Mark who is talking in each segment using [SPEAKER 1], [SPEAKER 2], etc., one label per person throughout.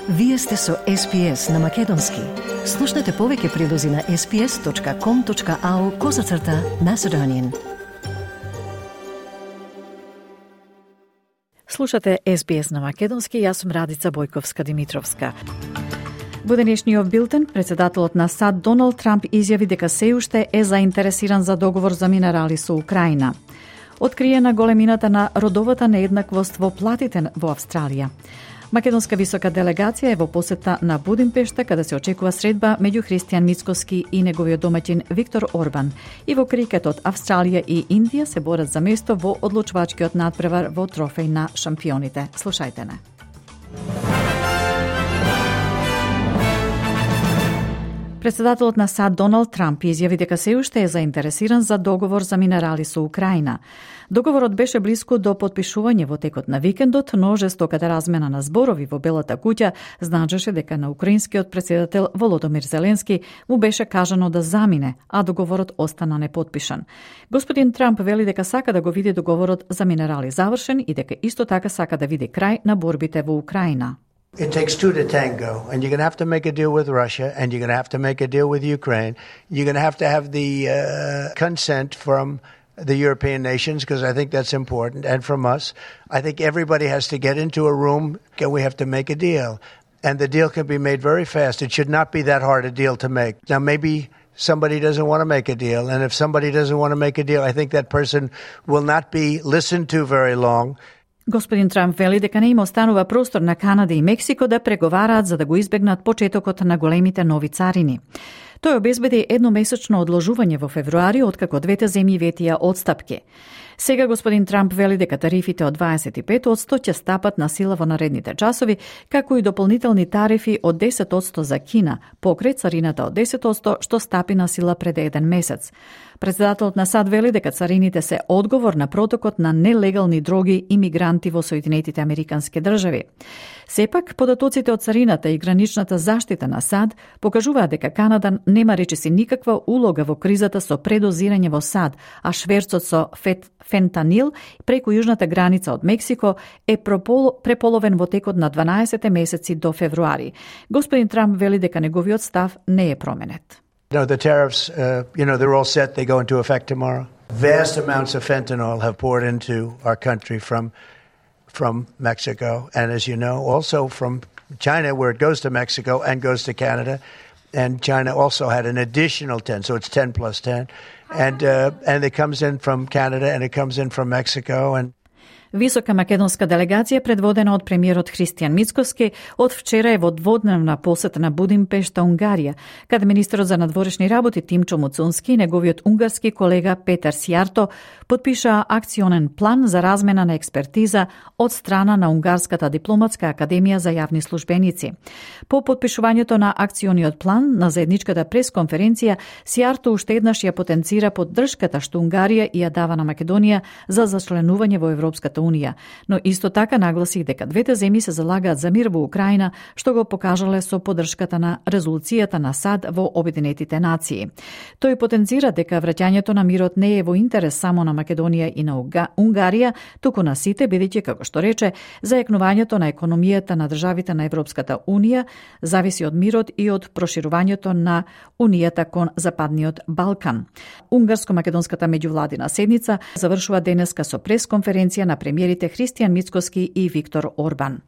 [SPEAKER 1] Вие сте со SPS на Македонски. Слушнете повеќе прилози на sps.com.au/Macedonian.
[SPEAKER 2] Слушате SBS на Македонски, јас сум Радица Бојковска-Димитровска. Во денешниот билтен, председателот на САД Доналд Трамп изјави дека се уште е заинтересиран за договор за минерали со Украина. Откриена големината на родовата нееднаквост во платите во Австралија. Македонска висока делегација е во посета на Будимпешта, каде се очекува средба меѓу Христијан Мицкоски и неговиот домаќин Виктор Орбан. И во крикетот Австралија и Индија се борат за место во одлучувачкиот надпревар во трофеј на шампионите. Слушајте не. Председателот на САД Доналд Трамп изјави дека се уште е заинтересиран за договор за минерали со Украина. Договорот беше блиску до потпишување во текот на викендот, но жестоката размена на зборови во Белата куќа значеше дека на украинскиот претседател Володомир Зеленски му беше кажано да замине, а договорот остана непотпишан. Господин Трамп вели дека сака да го види договорот за минерали завршен и дека исто така сака да види крај на борбите во Украина.
[SPEAKER 3] It takes two to tango, and you're going to have to make a deal with Russia, and you're going to have to make a deal with Ukraine. You're going to have the consent from the European nations, because I think that's important, and from us. I think everybody has to get into a room, and we have to make a deal. And the deal can be made very fast. It should not be that hard a deal to make. Now, maybe somebody doesn't want to make a deal, and if somebody doesn't want to make a deal, I think that person will not be listened to very long.
[SPEAKER 2] Господин Трамп вели дека не им останува простор на Канада и Мексико да преговараат за да го избегнат почетокот на големите нови царини. Тој обезбеди едномесечно одложување во февруари, откако двете земји ветија отстапки. Сега господин Трамп вели дека тарифите од 25% ќе стапат на сила во наредните часови, како и дополнителни тарифи од 10% за Кина, покрај царината од 10% што стапи на сила пред еден месец. Председателот на САД вели дека царините се одговор на протокот на нелегални дроги и мигранти во Соединетите Американски држави. Сепак, податоците од царината и граничната заштита на САД покажуваат дека Канада нема речиси никаква улога во кризата со предозирање во САД, а шверцот со фентанил преку јужната граница од Мексико е преполовен во текот на 12 месеци до февруари. Господин Трамп вели дека неговиот став не е променет.
[SPEAKER 3] No, the tariffs, they're all set. They go into effect tomorrow. Vast amounts of fentanyl have poured into our country from Mexico. And as you know, also from China, where it goes to Mexico and goes to Canada. And China also had an additional 10, so it's 10 plus 10. And it comes in from Canada and it comes in from Mexico. And
[SPEAKER 2] Висока македонска делегација предводена од премиерот Христијан Мицкоски од вчера е во дводневна посета на Будимпешта, Унгарија, каде министерот за надворешни работи Тимчо Муцунски и неговиот унгарски колега Петер Сијарто подпишаа акционен план за размена на експертиза од страна на Унгарската дипломатска академија за јавни службеници. По подпишувањето на акциониот план на заедничката пресконференција, Сијарто уште еднаш ја потенцира поддршката што Унгарија ја дава на Македонија за зачленување во Европската Унија, но исто така нагласи дека двете земји се залагаат за мир во Украина, што го покажале со поддршката на резолуцијата на САД во Обединетите нации. Тој потенцира дека враќањето на мирот не е во интерес само на Македонија и на Унгарија, туку на сите, бидејќи, како што рече, зајакнувањето на економијата на државите на Европската Унија зависи од мирот и од проширувањето на Унијата кон Западниот Балкан. Унгарско-македонската меѓувладина седница завршува денеска со пресконференција на премиерите Христијан Мицкоски и Виктор Орбан.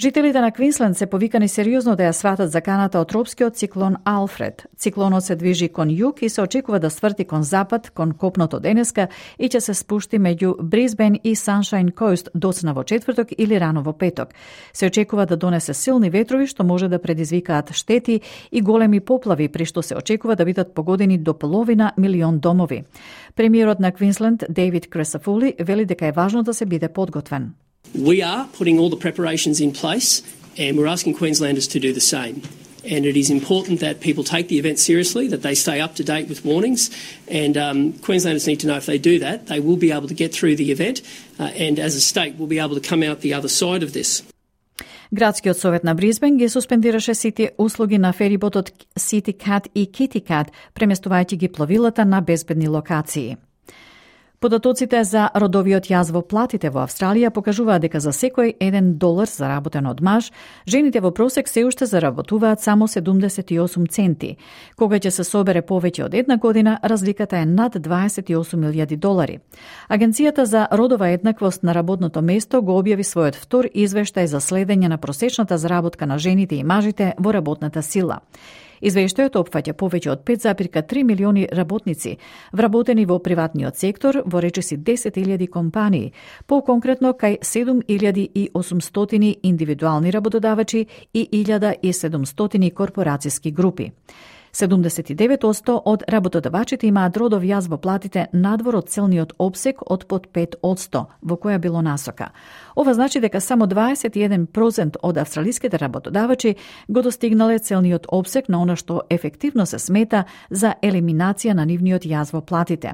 [SPEAKER 2] Жителите на Квинсленд се повикани сериозно да ја сватат заканата од тропскиот циклон Алфред. Циклонот се движи кон југ и се очекува да сврти кон запад, кон копното денеска и ќе се спушти меѓу Брисбен и Саншайн Коуст доцна во четврток или рано во петок. Се очекува да донесе силни ветрови што може да предизвикаат штети и големи поплави, при што се очекува да бидат погодени до половина милион домови. Премиерот на Квинсленд Дейвид Кресафули вели дека е важно да се биде подготвен.
[SPEAKER 4] We are putting all the preparations in place and we're asking Queenslanders to do the same. And it is important that people take the event seriously, that they stay up to date with warnings, and Queenslanders need to know if they do that, they will be able to get through the event and as a state will be able to come out the other side of this.
[SPEAKER 2] Градскиот совет на Брисбен ги суспендираше сите услуги на фериботот City Cat и Kitty Cat, преместувајќи ги пловилата на безбедни локации. Податоците за родовиот јаз во платите во Австралија покажуваат дека за секој $1 заработен од маж, жените во просек се уште заработуваат само 78 центи. Кога ќе се собере повеќе од една година, разликата е над $28,000. Агенцијата за родова еднаквост на работното место го објави својот втор извештај за следење на просечната заработка на жените и мажите во работната сила. Извештајот опфаќа повеќе од 5,3 милиони работници, вработени во приватниот сектор во речиси 10,000 компании, по-конкретно кај 7,800 индивидуални работодавачи и 1,700 корпорацијски групи. 79% од работодавачите имаат родов јаз во платите надвор од целниот опсек од под 5%, во која било насока. Ова значи дека само 21% од австралиските работодавачи го достигнале целниот опсек на она што ефективно се смета за елиминација на нивниот јаз во платите.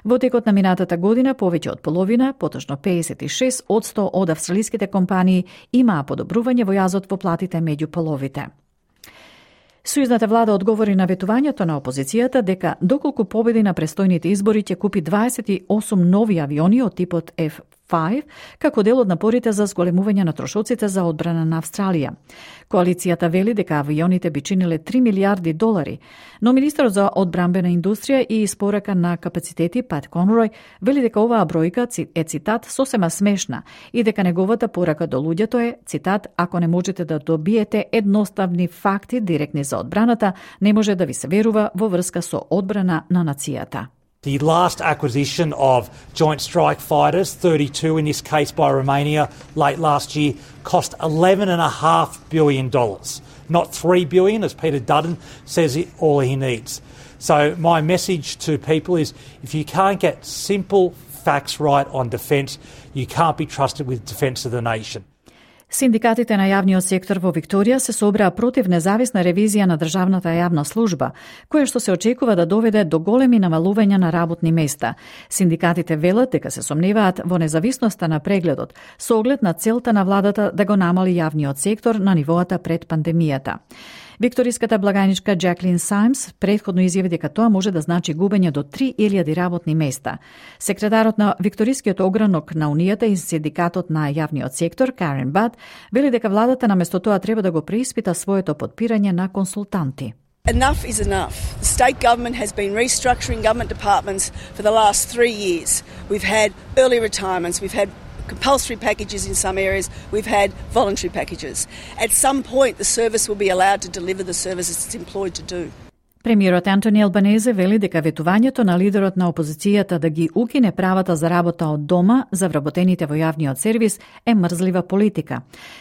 [SPEAKER 2] Во текот на минатата година повеќе од половина, поточно 56% од австралиските компании имаа подобрување во јазот во платите меѓу половите. Сојузната влада одговори на ветувањето на опозицијата дека доколку победи на престојните избори ќе купи 28 нови авиони од типот F-5 како дел од напорите за зголемување на трошоците за одбрана на Австралија. Коалицијата вели дека авионите би чиниле $3 милиарди, но министерот за одбрамбена индустрија и испорака на капацитети Пат Конрој вели дека оваа бројка е цитат сосема смешна и дека неговата порака до луѓето е цитат ако не можете да добиете едноставни факти директни за одбраната, не може да ви се верува во врска со одбрана на нацијата.
[SPEAKER 5] The last acquisition of Joint Strike Fighters, 32 in this case by Romania, late last year, cost $11.5 billion. Not $3 billion, as Peter Dutton says all he needs. So my message to people is if you can't get simple facts right on defence, you can't be trusted with defence of the nation.
[SPEAKER 2] Синдикатите на јавниот сектор во Викторија се собраа против независна ревизија на државната јавна служба, која што се очекува да доведе до големи намалувања на работни места. Синдикатите велат дека се сомневаат во независноста на прегледот, со оглед на целта на владата да го намали јавниот сектор на нивоата пред пандемијата. Викториската благајничка Джаклин Сајмс претходно изјави дека тоа може да значи губење до 3,000 работни места. Секретарот на Викторискиот огранок на Унијата и синдикатот на јавниот сектор, Карен Бад, вели дека владата наместо тоа треба да го преиспита своето подпирање на консултанти.
[SPEAKER 6] Enough is enough. The state government has been restructuring government departments for the last 3 years. We've had early retirements, we've had compulsory packages in some areas, we've had voluntary packages. At some point, the service will be allowed to deliver the services it's employed to do.
[SPEAKER 2] Премиерот Антони Албанезе вели дека ветувањето на лидерот на опозицијата да ги укине правата за работа од дома за вработените во јавниот сервис е мрзлива политика.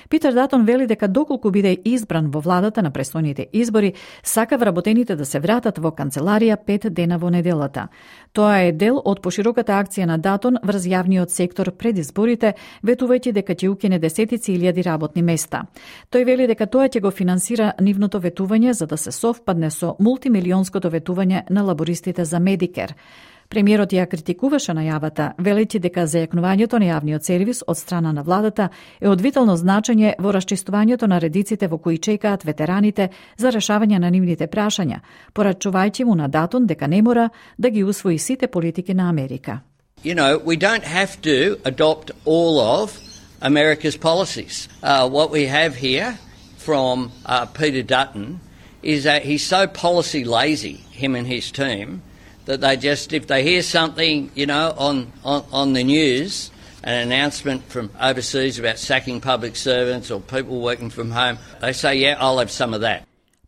[SPEAKER 2] Питер Датон вели дека доколку биде избран во владата на престојните избори, сака вработените да се вратат во канцеларија 5 дена во неделата. Тоа е дел од пошироката акција на Датон врз јавниот сектор пред изборите, ветувајќи дека ќе укине десетици илјади работни места. Тој вели дека тоа ќе го финансира нивното ветување за да се совпадне со мултимилионското ветување на лабористите за Медикер. Премиерот ја критикуваше најавата, велејќи дека зајакнувањето на јавниот сервис од страна на владата е од витално значење во расчистувањето на редиците во кои чекаат ветераните за решавање на нивните прашања, порачувајќи му на Датон дека не мора да ги усвои сите политики на Америка.
[SPEAKER 7] You know, we don't have to adopt all of America's policies. What we have here from Peter Dutton is that he's so policy lazy, him and his team, that they just, if they hear something, you know, on the news, an announcement from overseas about sacking public servants or people working from home, they say, yeah, I'll have some of that.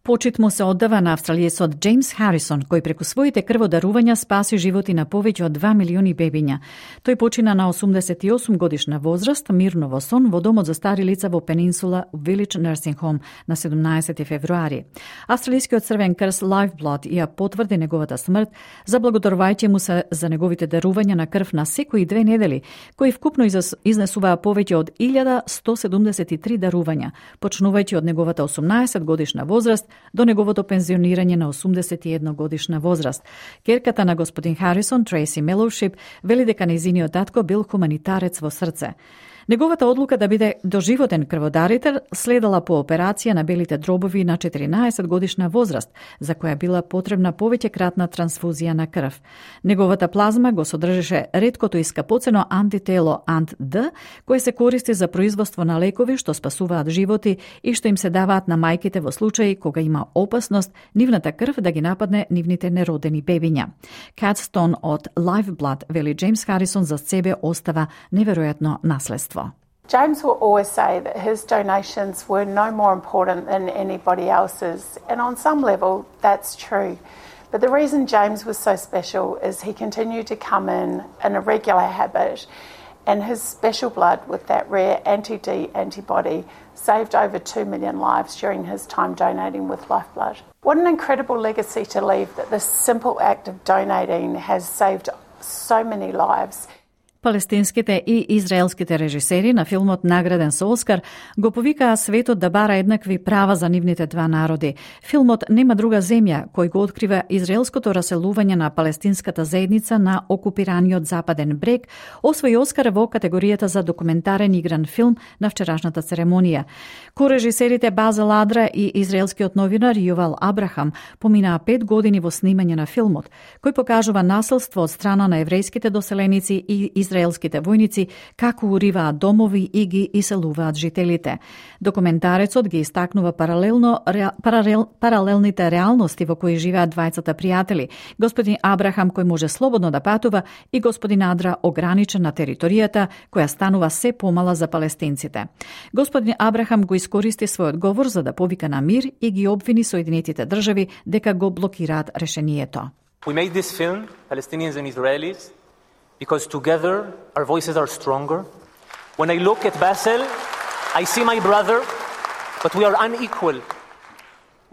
[SPEAKER 2] Почит му се оддава на австралиецот Джеймс Харисон, кој преку своите крводарувања спаси животи на повеќе од 2 милиони бебиња. Тој почина на 88 годишна возраст, мирно во сон, во домот за стари лица во Пенинсула Village Nursing Home на 17 февруари. Австралискиот црвен крст Lifeblood ја потврди неговата смрт, заблагодарувајќи му се за неговите дарувања на крв на секои 2 недели, кои вкупно изнесуваа повеќе од 1173 дарувања, почнувајќи од неговата 18 годишна возраст до неговото пензионирање на 81 годишна возраст. Керката на господин Харисон, Трейси Мелоушип, вели дека нејзиниот татко бил хуманитарец во срце. Неговата одлука да биде доживотен крводарител следела по операција на белите дробови на 14 годишна возраст, за која била потребна повеќекратна трансфузија на крв. Неговата плазма го содржеше реткото и скапоцено антитело Ant-D, кое се користи за производство на лекови што спасуваат животи и што им се даваат на мајките во случаи кога има опасност нивната крв да ги нападне нивните неродени бебиња. Cat Stone од Lifeblood вели Джеймс Харисон за себе остава неверојатно наследство.
[SPEAKER 8] James will always say that his donations were no more important than anybody else's, and on some level that's true. But the reason James was so special is he continued to come in a regular habit, and his special blood with that rare anti-D antibody saved over 2 million lives during his time donating with Lifeblood. What an incredible legacy to leave, that this simple act of donating has saved so many lives.
[SPEAKER 2] Палестинските и израелските режисери на филмот награден со Оскар го повикаа светот да бара еднакви права за нивните два народи. Филмот Нема друга земја, кој го открива израелското раселување на палестинската заедница на окупираниот Западен брег, освои Оскар во категоријата за документарен игран филм на вчерашната церемонија. Корежисерите Базел Адра и израелскиот новинар Јувал Абрахам поминаа 5 години во снимање на филмот, кој покажува насилство од страна на еврејските доселеници и израелските војници како уриваат домови и ги иселуваат жителите. Документарецот ги истакнува паралелните реалности во кои живеат двајцата пријатели, господин Абрахам кој може слободно да патува и господин Адра ограничен на територијата која станува се помала за палестинците. Господин Абрахам го искористи својот говор за да повика на мир и ги обвини Соединетите држави дека го блокираат решението.
[SPEAKER 9] We made this film, Palestinians and Israelis, because together our voices are stronger. When I look at Basel, I see my brother, but we are unequal.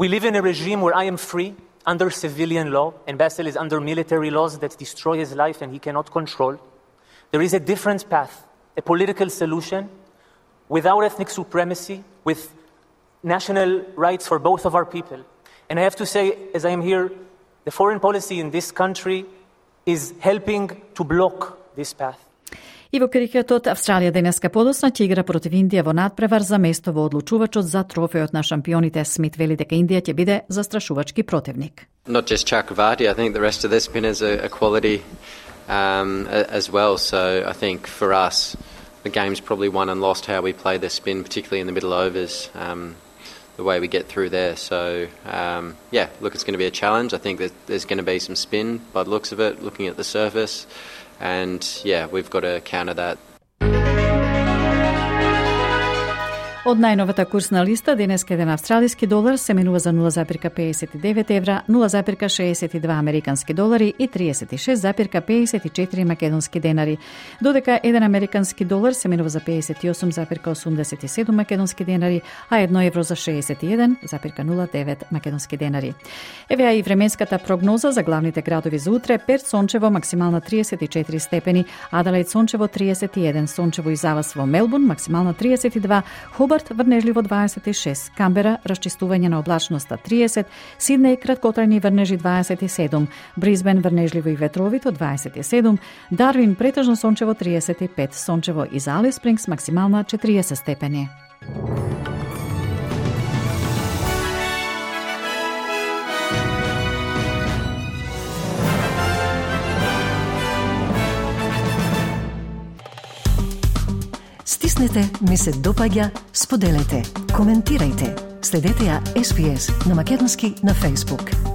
[SPEAKER 9] We live in a regime where I am free under civilian law, and Basel is under military laws that destroy his life and he cannot control. There is a different path, a political solution without ethnic supremacy, with national rights for both of our people. And I have to say, as I am here, the foreign policy in this country is helping to block this path.
[SPEAKER 2] И во крикетот, Австралија денеска подоцна ќе игра против Индија во надпревар за место во одлучувачот за трофеот на шампионите. Смит вели дека Индија ќе биде застрашувачки противник.
[SPEAKER 10] Not just Chakravarti, I think the rest of the spinners are quality as well. So I think for us, the game's probably won and lost how we play the spin, particularly in the middle overs, the way we get through there. So, look, it's going to be a challenge. I think that there's going to be some spin by the looks of it, looking at the surface. And, we've got to counter that.
[SPEAKER 2] Од најновата курсна листа, денеска еден австралиски долар се менува за 0,59 евра, 0,62 американски долари и 36,54 македонски денари. Додека еден американски долар се менува за 58,87 македонски денари, а 1 евро за 61,09 македонски денари. Евеа и временската прогноза за главните градови за утре: Перт сончево, максимална 34 степени, Аделаид сончево 31, сончево и завас во Мелбурн, максимална 32, Хобарт врнежливо 26, Камбера расчистување на облачноста 30, Сиднеј краткотрајни врнежи 27, Брисбен врнежливо и ветровито 27, Дарвин претежно сончево 35, сончево и за Алис Спрингс максимална 40 степени.
[SPEAKER 1] Стиснете, ми се допаѓа, споделете, коментирајте. Следете ја SPS на Македонски на Facebook.